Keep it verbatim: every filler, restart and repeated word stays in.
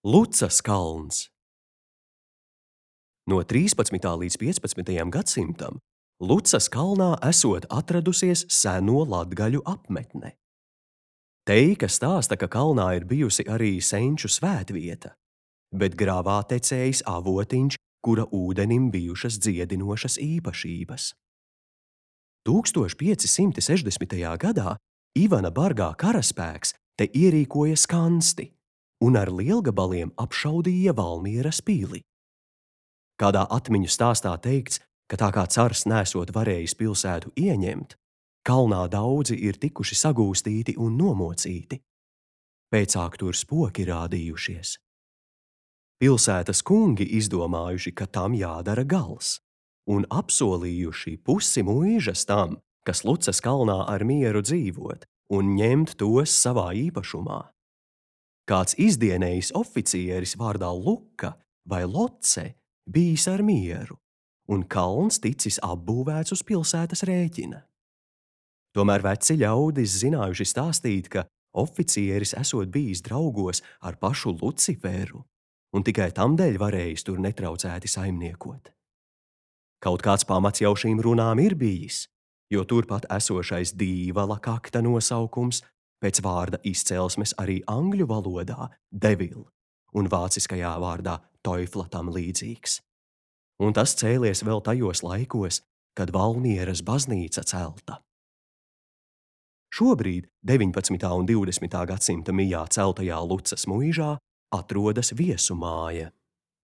Lucas kalns. No trīspadsmitā līdz piecpadsmitajam gadsimtam Lucas kalnā esot atradusies seno latgaļu apmetne. Teika stāsta, ka kalnā ir bijusi arī senču svētvieta, bet grāvā tecējis avotiņš, kura ūdenim bijušas dziedinošas īpašības. tūkstoš pieci simti sešdesmitajā gadā Ivana Bargā karaspēks te ierīkoja skansti un ar lielgabaliem apšaudīja Valmieras pili. Kādā atmiņu stāstā teikts, ka tā kā cars nesot varējis pilsētu ieņemt, kalnā daudzi ir tikuši sagūstīti un nomocīti. Pēcāk tur spoki rādījušies. Pilsētas kungi izdomājuši, ka tam jādara gals, un apsolījuši pusi muižas tam, kas Lucas kalnā ar mieru dzīvot un ņemt tos savā īpašumā. Kāds izdienējis oficieris vārdā Luka vai Loce bijis ar mieru, un kalns ticis apbūvēts uz pilsētas rēķina. Tomēr veci ļaudis zinājuši stāstīt, ka oficieris esot bijis draugos ar pašu Luciferu, un tikai tamdēļ varējis tur netraucēti saimniekot. Kaut kāds pamats jau šīm runām ir bijis, jo turpat esošais Dīvala kakta nosaukums pēc vārda izcelsmes arī angļu valodā devil un vāciskajā vārdā teufla tam līdzīgs. Un tas cēlies vēl tajos laikos, kad Valmieras baznīca celta. Šobrīd deviņpadsmitā un divdesmitā gadsimta mijā celtajā Lucas muižā atrodas viesumāja.